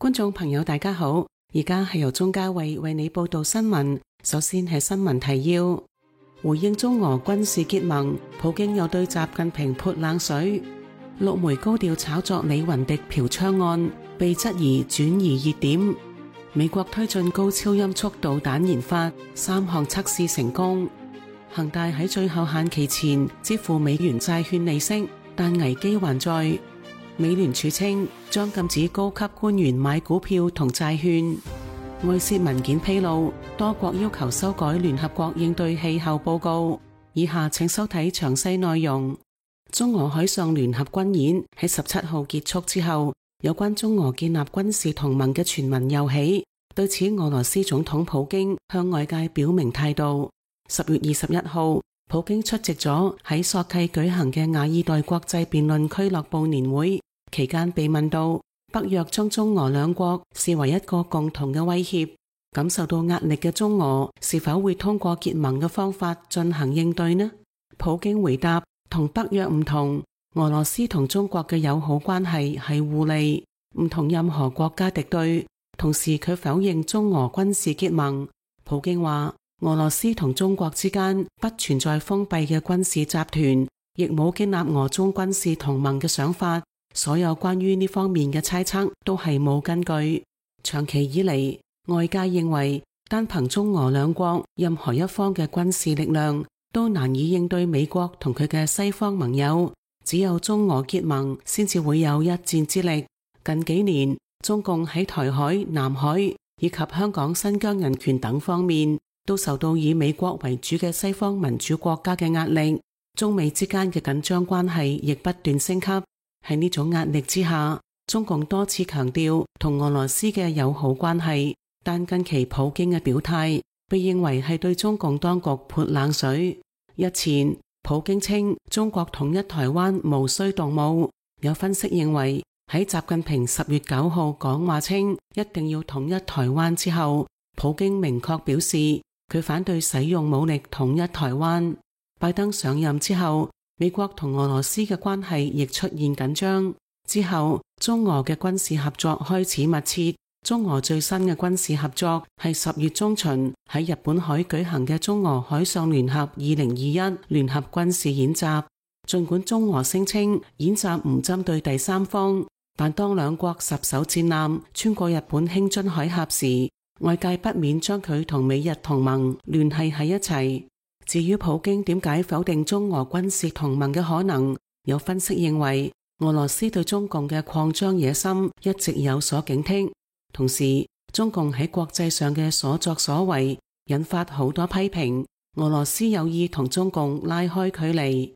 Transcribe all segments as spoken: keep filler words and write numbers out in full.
觀眾朋友大家好，而家係由鍾嘉慧為你報道新聞。首先係新聞提要，回應中俄軍事結盟，普京又對習近平潑冷水。陸媒高調炒作李雲迪嫖娼案，被質疑轉移熱點。美國推進高超音速導彈研發，三項測試成功。恒大喺最後限期前支付美元債券利息，但危機還在。美聯儲稱將禁止高級官員買股票同債券。外泄文件披露，多國要求修改聯合國應對氣候報告。以下請收睇詳細內容。中俄海上聯合軍演喺十七號結束之後，有關中俄建立軍事同盟嘅傳聞又起。對此，俄羅斯總統普京向外界表明態度。十月二十一號，普京出席咗喺索契舉行嘅亞爾代國際辯論俱樂部年會，期間被問到北約將中俄兩國視為一個共同嘅威脅，感受到壓力嘅中俄是否會通過結盟嘅方法進行應對呢？普京回答，同北約唔同，俄羅斯同中國嘅友好關係係互利，唔同任何國家敵對。同時佢否認中俄軍事結盟。普京話，俄羅斯同中國之間不存在封閉嘅軍事集團，亦冇建立俄中軍事同盟嘅想法。所有關於呢方面嘅猜測都係冇根據。長期以嚟，外界認為單憑中俄兩國任何一方嘅軍事力量都難以應對美國同佢嘅西方盟友，只有中俄結盟先至會有一戰之力。近幾年，中共喺台海、南海以及香港、新疆人權等方面都受到以美國為主嘅西方民主國家嘅壓力，中美之間嘅緊張關係亦不斷升級。喺呢種壓力之下，中共多次強調同俄羅斯嘅友好關係，但近期普京嘅表態被認為係對中共當局潑冷水。日前，普京稱中國統一台灣無需動武。有分析認為，喺習近平十月九號講話稱一定要統一台灣之後，普京明確表示佢反對使用武力統一台灣。拜登上任之後，美國同俄羅斯嘅關係亦出現緊張。之後，中俄嘅軍事合作開始密切。中俄最新嘅軍事合作係十月中旬喺日本海舉行嘅中俄海上聯合二零二一聯合軍事演習。儘管中俄聲稱演習唔針對第三方，但當兩國十艘戰艦穿過日本輕津海峽時，外界不免將佢同美日同盟聯繫喺一齊。至於普京點解否定中俄軍事同盟嘅可能，有分析認為俄羅斯對中共嘅擴張野心一直有所警惕，同時中共喺國際上嘅所作所為引發好多批評，俄羅斯有意同中共拉開距離。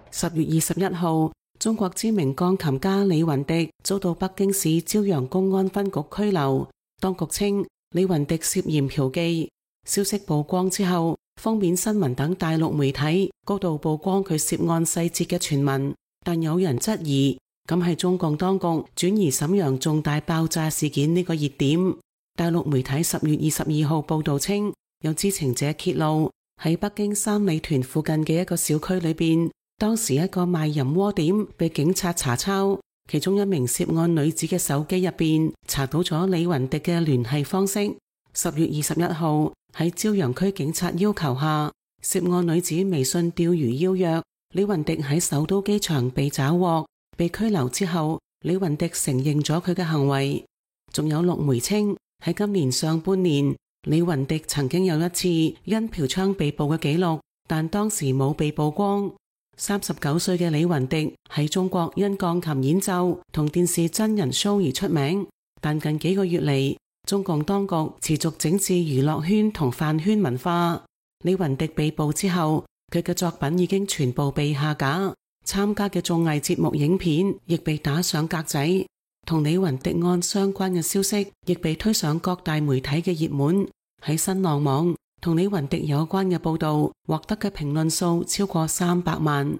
十月二十一號，中國知名鋼琴家李雲迪遭到北京市朝陽公安分局拘留，當局稱李雲迪涉嫌嫖妓。消息曝光之後，封面新聞等大陸媒體高度曝光佢涉案細節嘅傳聞，但有人質疑咁係中共當局轉移瀋陽重大爆炸事件呢個熱點。大陸媒體十月二十二號報道稱，有知情者揭露喺北京三里屯附近嘅一個小區裏邊，當時一個賣淫窩點被警察查抄，其中一名涉案女子嘅手機入邊查到咗李雲迪嘅聯繫方式。十月二十一號喺朝陽區警察要求下，涉案女子微信釣魚邀約李雲迪喺首都機場被抓獲，被拘留之後，李雲迪承認咗佢嘅行為。仲有陸媒稱喺今年上半年，李雲迪曾經有一次因嫖娼被捕嘅記錄，但當時冇被曝光。三十九歲嘅李雲迪喺中國因鋼琴演奏同電視真人 show 而出名，但近幾個月嚟，中共當局持續整治娛樂圈同飯圈文化。李雲迪被捕之後，佢嘅作品已經全部被下架，參加嘅綜藝節目影片亦被打上格仔，同李雲迪案相關嘅消息亦被推上各大媒體嘅熱門。喺新浪網，同李雲迪有關嘅報道獲得嘅評論數超過三百萬。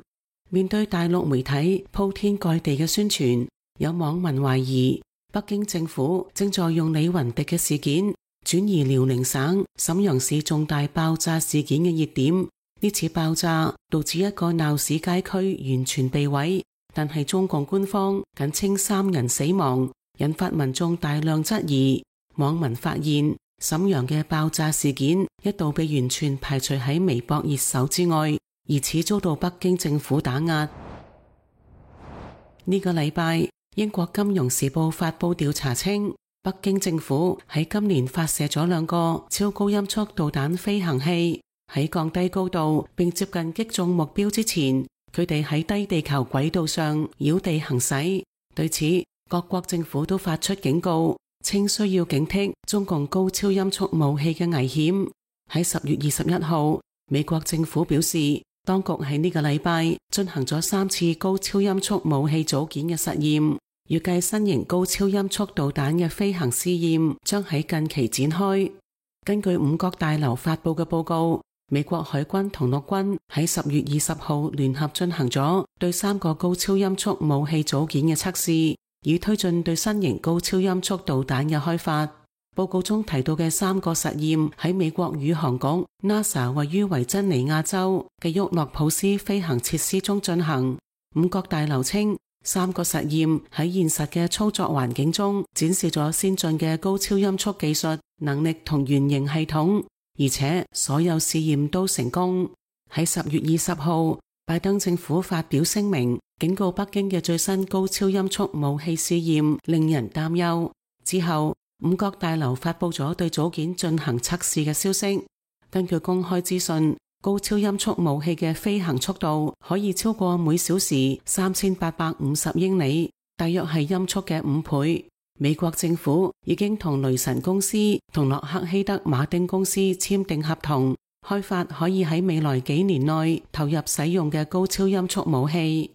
面對大陸媒體鋪天蓋地嘅宣傳，有網民懷疑北京政府正在用李雲迪嘅事件轉移遼寧省瀋陽市重大爆炸事件嘅熱點。呢次爆炸導致一個鬧市街區完全被毀，但係中共官方僅稱三人死亡，引發民眾大量質疑。網民發現瀋陽嘅爆炸事件一度被完全排除喺微博熱搜之外，疑似遭到北京政府打壓。呢個禮拜，英國金融時報發佈調查稱，北京政府喺今年發射咗兩個超高音速導彈飛行器，喺降低高度並接近擊中目標之前，佢哋喺低地球軌道上繞地行駛。對此，各國政府都發出警告，稱需要警惕中共高超音速武器嘅危險。喺十月二十一號，美國政府表示，當局喺呢個禮拜進行咗三次高超音速武器組件嘅實驗，預計新型高超音速導彈嘅飛行試驗將喺近期展開。根據五角大樓發佈嘅報告，美國海軍同陸軍喺十月二十號聯合進行咗對三個高超音速武器組件嘅測試，以推進對新型高超音速導彈嘅開發。報告中提到嘅三個實驗喺美國宇航局 NASA 位於維珍尼亞州嘅沃諾普斯飛行設施中進行。五角大樓稱，三個實驗喺現實嘅操作環境中展示咗先進嘅高超音速技術能力同原型系統，而且所有試驗都成功。喺十月二十號，拜登政府發表聲明，警告北京嘅最新高超音速武器試驗令人擔憂。之後，五角大樓發佈咗對組件進行測試嘅消息。根據公開資訊，高超音速武器嘅飛行速度可以超過每小時三千八百五十英里，大約係音速嘅五倍。美國政府已經同雷神公司同洛克希德馬丁公司簽訂合同，開發可以喺未來幾年內投入使用嘅高超音速武器。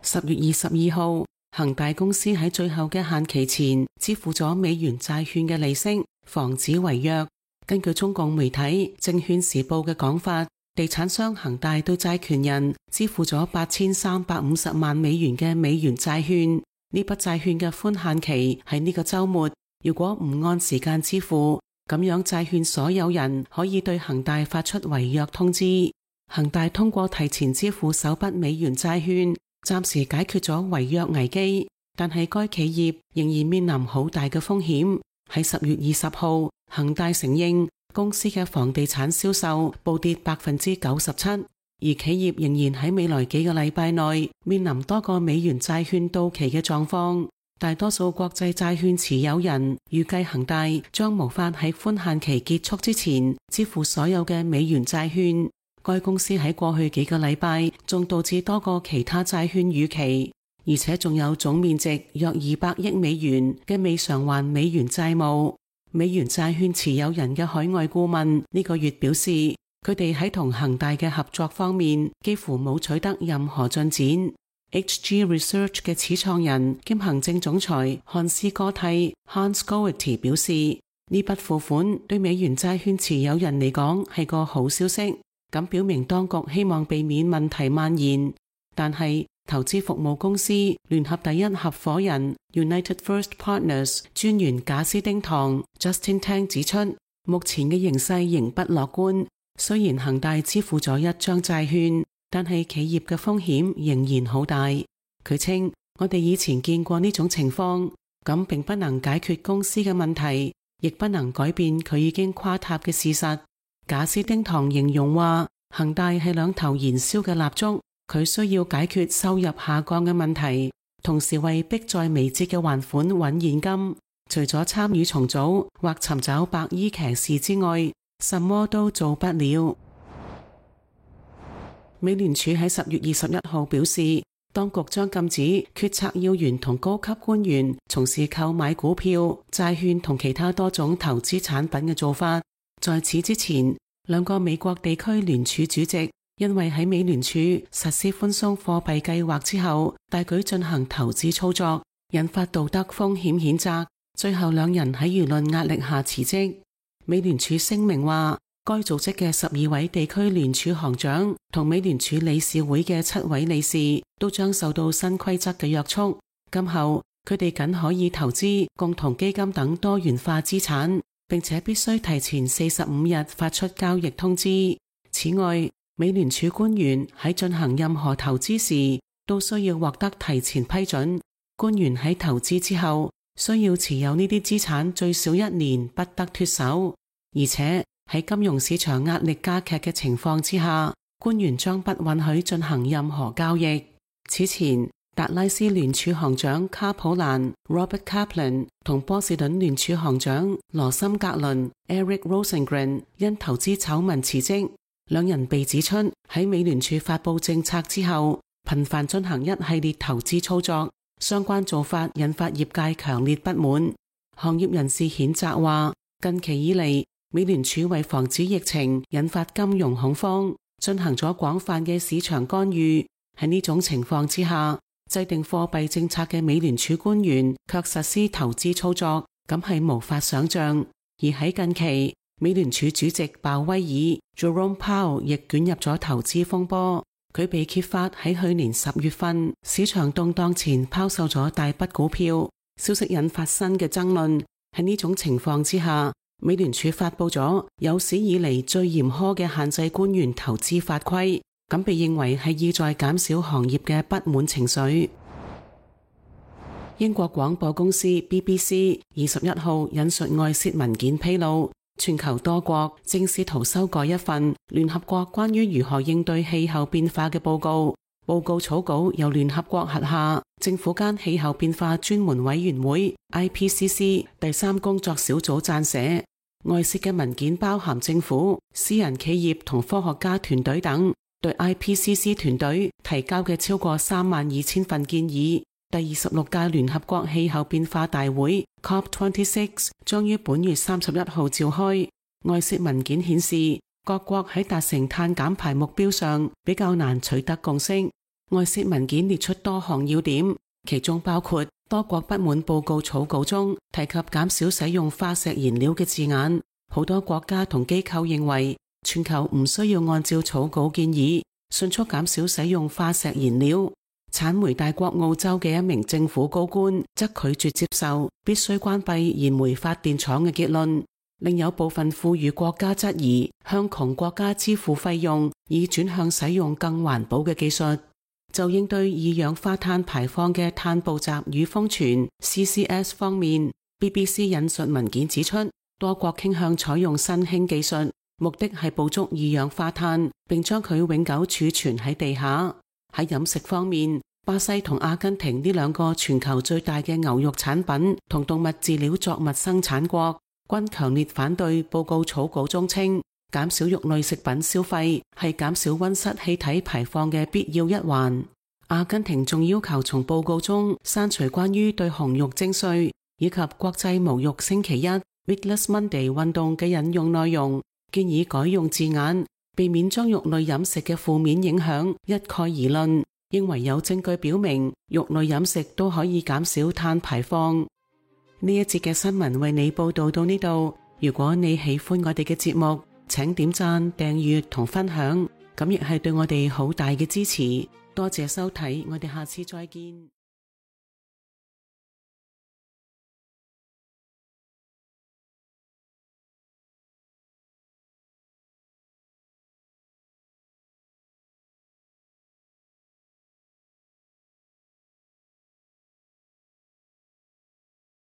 十月二十二號，恒大公司喺最後嘅限期前支付咗美元債券嘅利息，防止違約。根據中共媒體《證券時報》嘅講法，地產商恒大對債權人支付咗八千三百五十萬美元嘅美元債券。呢筆債券嘅寬限期喺呢個週末，如果唔按時間支付，咁樣債券所有人可以對恒大發出違約通知。恒大通過提前支付首筆美元債券，暫時解決咗違約危機，但係該企業仍然面臨好大嘅風險。喺十月二十號，恒大承認公司嘅房地產銷售暴跌百分之九十七，而企業仍然喺未來幾個禮拜內面臨多個美元債券到期嘅狀況。大多數國際債券持有人預計恒大將無法喺寬限期結束之前支付所有嘅美元債券。該公司喺過去幾個禮拜仲導致多個其他債券逾期，而且仲有總面值約二百億美元嘅未償還美元債務。美元債券持有人嘅海外顧問呢個月表示，佢哋喺同恒大嘅合作方面幾乎冇取得任何進展。H G Research 嘅始創人兼行政總裁漢斯哥蒂 Hans Goethe 表示，呢筆付款對美元債券持有人嚟講係個好消息，咁表明當局希望避免問題蔓延。但係投資服務公司聯合第一合夥人 United First Partners 專員賈斯丁唐 Justin Tang 指出，目前嘅形勢仍不樂觀。雖然恒大支付咗一張債券，但係企業嘅風險仍然好大。佢稱，我哋以前見過呢種情況，咁並不能解決公司嘅問題，亦不能改變佢已經垮塌嘅事實。賈斯丁唐形容話，恒大係兩頭燃燒嘅蠟燭，佢需要解決收入下降嘅問題，同時為迫在眉睫嘅還款揾現金。除咗參與重組或尋找白衣騎士之外，什麼都做不了。美聯儲喺十月二十一號表示，當局將禁止決策要員同高級官員從事購買股票、債券同其他多種投資產品嘅做法。在此之前，兩個美國地區聯儲主席因為喺美聯儲實施寬鬆貨幣計劃之後大舉進行投資操作，引發道德風險譴責，最後兩人喺輿論壓力下辭職。美聯儲聲明話，該組織嘅十二位地區聯儲行長同美聯儲理事會嘅七位理事都將受到新規則嘅約束，今後佢哋僅可以投資共同基金等多元化資產，並且必須提前四十五日發出交易通知。此外，美聯儲官員喺進行任何投資時都需要獲得提前批准。官員喺投資之後需要持有呢啲資產最少一年，不得脫手。而且喺金融市場壓力加劇嘅情況之下，官員將不允許進行任何交易。此前，達拉斯聯儲行長卡普蘭 Robert Kaplan 同波士頓聯儲行長羅森格倫 Eric Rosengren 因投資醜聞辭職。兩人被指出喺美聯儲發佈政策之後，頻繁進行一系列投資操作，相關做法引發業界強烈不滿。行業人士譴責話，近期以嚟，美聯儲為防止疫情引發金融恐慌，進行咗廣泛嘅市場干預。喺呢種情況之下，制定貨幣政策嘅美聯儲官員卻實施投資操作，咁係無法想象。而喺近期，美聯儲主席鮑威爾 Jerome Powell 亦捲入咗投資風波。佢被揭發喺去年十月份市場動盪前拋售咗大筆股票，消息引發新嘅爭論。喺呢種情況之下，美聯儲發佈咗有史以嚟最嚴苛嘅限制官員投資法規，咁被認為係意在減少行業嘅不滿情緒。英國廣播公司 B B C 二十一號引述外泄文件披露，全球多國正試圖修改一份聯合國關於如何應對氣候變化嘅報告。報告草稿由聯合國轄下政府間氣候變化專門委員會 I P C C 第三工作小組撰寫。外泄嘅文件包含政府、私人企業同科學家團隊等對 I P C C 團隊提交嘅超過三萬二千份建議。第二十六屆聯合國氣候變化大會 C O P 二十六 將於本月三十一號召開。外泄文件顯示，各國喺達成碳減排目標上比較難取得共識。外泄文件列出多項要點，其中包括多國不滿報告草稿中提及減少使用化石燃料嘅字眼。好多國家同機構認為全球唔需要按照草稿建議迅速減少使用化石燃料。產煤大國澳洲嘅一名政府高官則拒絕接受必須關閉燃煤發電廠嘅結論。另有部分富裕國家質疑向窮國家支付費用，以轉向使用更環保嘅技術。就應對二氧化碳排放嘅碳捕集與封存 C C S 方面， B B C 引述文件指出，多國傾向採用新興技術，目的係捕捉二氧化碳並將佢永久儲存喺地下。喺飲食方面，巴西同阿根廷呢兩個全球最大嘅牛肉產品同動物飼料作物生產國均強烈反對報告草稿中稱減少肉類食品消費係減少溫室氣體排放嘅必要一環。阿根廷仲要求從報告中刪除關於對紅肉徵稅以及國際無肉星期一 Meatless Monday 運動嘅引用內容，建議改用字眼，避免將肉類飲食嘅負面影響一概而論，認為有證據表明肉類飲食都可以減少碳排放。呢一節嘅新聞為你報道到呢度，如果你喜歡我哋嘅節目，請點讚、訂閱同分享，咁亦係對我哋好大嘅支持。多謝收睇，我哋下次再見。